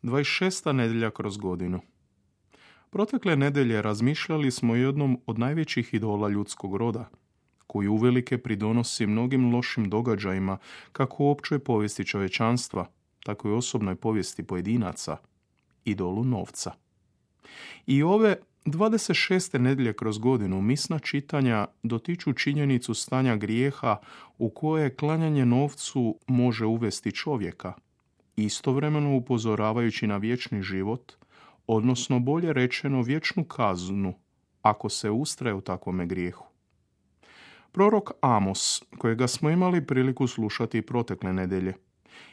26. nedjelja kroz godinu. Protekle nedjelje razmišljali smo o jednom od najvećih idola ljudskog roda, koji uvelike pridonosi mnogim lošim događajima kako u općoj povijesti čovječanstva, tako i osobnoj povijesti pojedinaca, idolu novca. I ove 26. nedjelje kroz godinu misna čitanja dotiču činjenicu stanja grijeha u koje klanjanje novcu može uvesti čovjeka, istovremeno upozoravajući na vječni život, odnosno bolje rečeno vječnu kaznu ako se ustraje u takvome grijehu. Prorok Amos, kojega smo imali priliku slušati protekle nedjelje,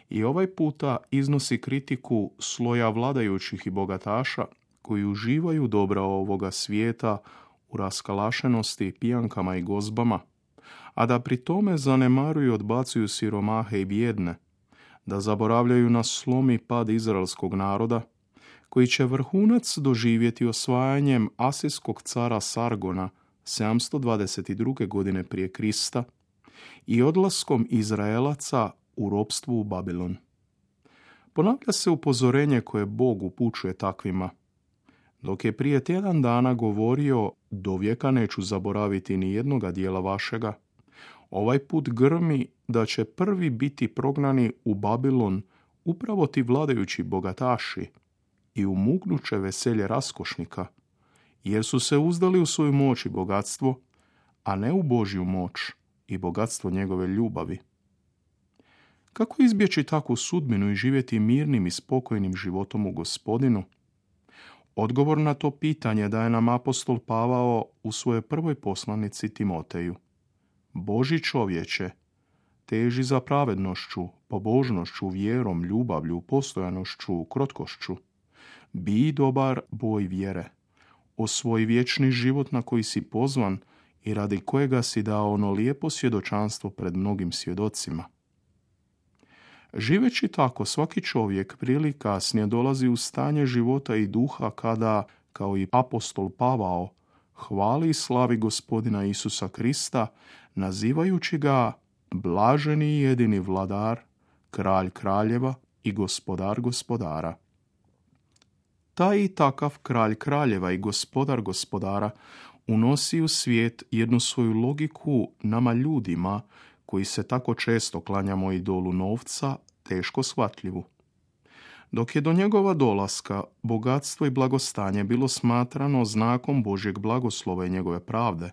i ovaj puta iznosi kritiku sloja vladajućih i bogataša koji uživaju dobra ovoga svijeta u raskalašenosti, pijankama i gozbama, a da pri tome zanemaruju i odbacuju siromahe i bijedne, da zaboravljaju na slom i pad izraelskog naroda, koji će vrhunac doživjeti osvajanjem asirskog cara Sargona 722. godine prije Krista i odlaskom Izraelaca u ropstvu u Babilon. Ponavlja se upozorenje koje Bog upućuje takvima. Dok je prije tjedan dana govorio, do vijeka neću zaboraviti ni jednoga dijela vašega, ovaj put grmi da će prvi biti prognani u Babilon upravo ti vladajući bogataši i umuknuće veselje raskošnika, jer su se uzdali u svoju moć i bogatstvo, a ne u Božju moć i bogatstvo njegove ljubavi. Kako izbjeći takvu sudbinu i živjeti mirnim i spokojnim životom u Gospodinu? Odgovor na to pitanje daje nam apostol Pavao u svojoj prvoj poslanici Timoteju. Božji čovječe, teži za pravednošću, pobožnošću, vjerom, ljubavlju, postojanošću, krotkošću. Bi dobar boj vjere. Osvoji vječni život na koji si pozvan i radi kojega si dao ono lijepo svjedočanstvo pred mnogim svjedocima. Živeći tako, svaki čovjek prije ili kasnije dolazi u stanje života i duha kada, kao i apostol Pavao, hvali i slavi Gospodina Isusa Krista, nazivajući ga blaženi i jedini vladar, kralj kraljeva i gospodar gospodara. Taj i takav kralj kraljeva i gospodar gospodara unosi u svijet jednu svoju logiku nama ljudima koji se tako često klanjamo idolu novca, teško shvatljivu. Dok je do njegova dolaska bogatstvo i blagostanje bilo smatrano znakom Božjeg blagoslova i njegove pravde,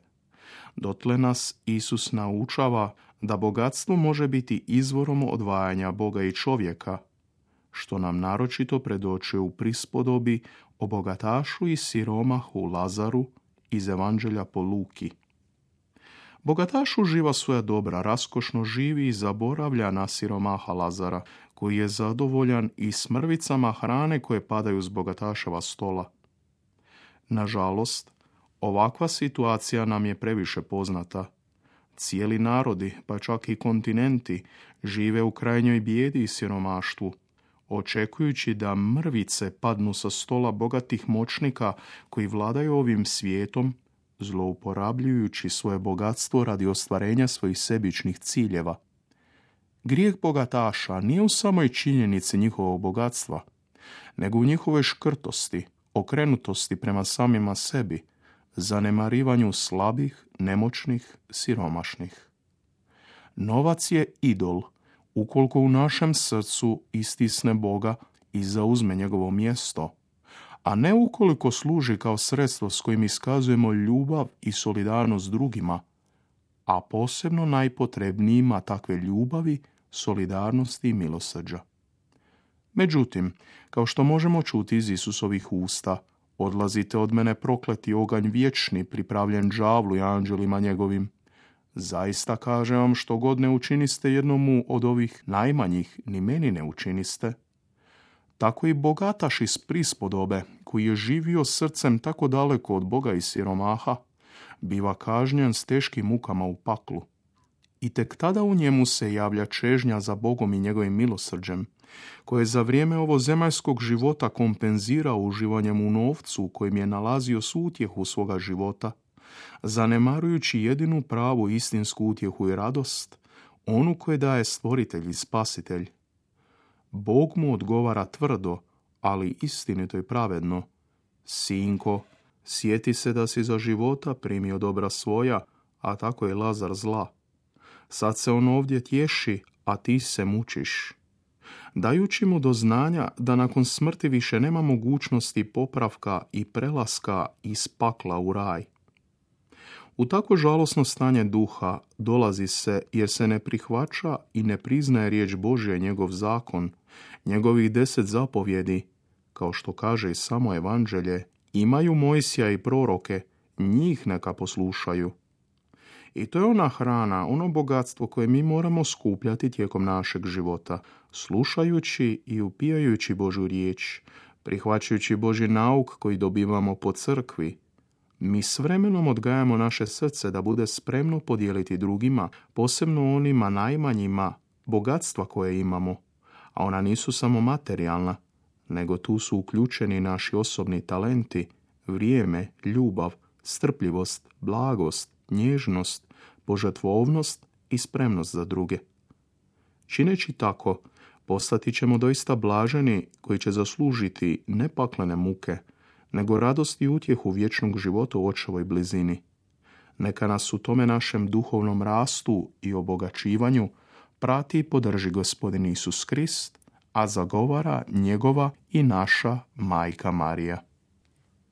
dotle nas Isus naučava da bogatstvo može biti izvorom odvajanja Boga i čovjeka, što nam naročito predočuje u prispodobi o bogatašu i siromahu Lazaru iz Evanđelja po Luki. Bogataš uživa svoja dobra, raskošno živi i zaboravlja na siromaha Lazara, koji je zadovoljan i s mrvicama hrane koje padaju s bogataševa stola. Nažalost, ovakva situacija nam je previše poznata. Cijeli narodi, pa čak i kontinenti, žive u krajnjoj bijedi i siromaštvu, očekujući da mrvice padnu sa stola bogatih moćnika koji vladaju ovim svijetom, zlouporabljujući svoje bogatstvo radi ostvarenja svojih sebičnih ciljeva. Grijeh bogataša nije u samoj činjenici njihovog bogatstva, nego u njihovoj škrtosti, okrenutosti prema samima sebi, zanemarivanju slabih, nemoćnih, siromašnih. Novac je idol, ukoliko u našem srcu istisne Boga i zauzme njegovo mjesto, a ne ukoliko služi kao sredstvo s kojim iskazujemo ljubav i solidarnost drugima, a posebno najpotrebnijima takve ljubavi, solidarnosti i milosrđa. Međutim, kao što možemo čuti iz Isusovih usta, odlazite od mene prokleti oganj vječni, pripravljen đavlu i anđelima njegovim. Zaista kažem vam, što god ne učiniste jednomu od ovih najmanjih, ni meni ne učiniste. Tako i bogataš iz prispodobe, koji je živio srcem tako daleko od Boga i siromaha, biva kažnjen s teškim mukama u paklu. I tek tada u njemu se javlja čežnja za Bogom i njegovim milosrđem, koje za vrijeme ovozemaljskog života kompenzirao uživanjem u novcu u kojem je nalazio svu utjehu svoga života, zanemarujući jedinu pravu istinsku utjehu i radost, onu koju daje stvoritelj i spasitelj. Bog mu odgovara tvrdo, ali istinito i pravedno. Sinko, sjeti se da si za života primio dobra svoja, a tako je Lazar zla. Sad se on ovdje tješi, a ti se mučiš. Dajući mu do znanja da nakon smrti više nema mogućnosti popravka i prelaska iz pakla u raj. U tako žalosno stanje duha dolazi se jer se ne prihvaća i ne priznaje riječ Božja i njegov zakon, njegovih 10 zapovjedi, kao što kaže i samo evanđelje, imaju Mojsija i proroke, njih neka poslušaju. I to je ona hrana, ono bogatstvo koje mi moramo skupljati tijekom našeg života, slušajući i upijajući Božju riječ, prihvaćajući Božji nauk koji dobivamo po crkvi. Mi s vremenom odgajamo naše srce da bude spremno podijeliti drugima, posebno onima najmanjima, bogatstva koje imamo. A ona nisu samo materijalna, nego tu su uključeni naši osobni talenti, vrijeme, ljubav, strpljivost, blagost, nježnost, požrtvovnost i spremnost za druge. Čineći tako, postati ćemo doista blaženi koji će zaslužiti ne paklene muke, nego radost i utjehu vječnog života u očevoj blizini. Neka nas u tome našem duhovnom rastu i obogaćivanju prati i podrži Gospodin Isus Krist, a zagovara njegova i naša Majka Marija.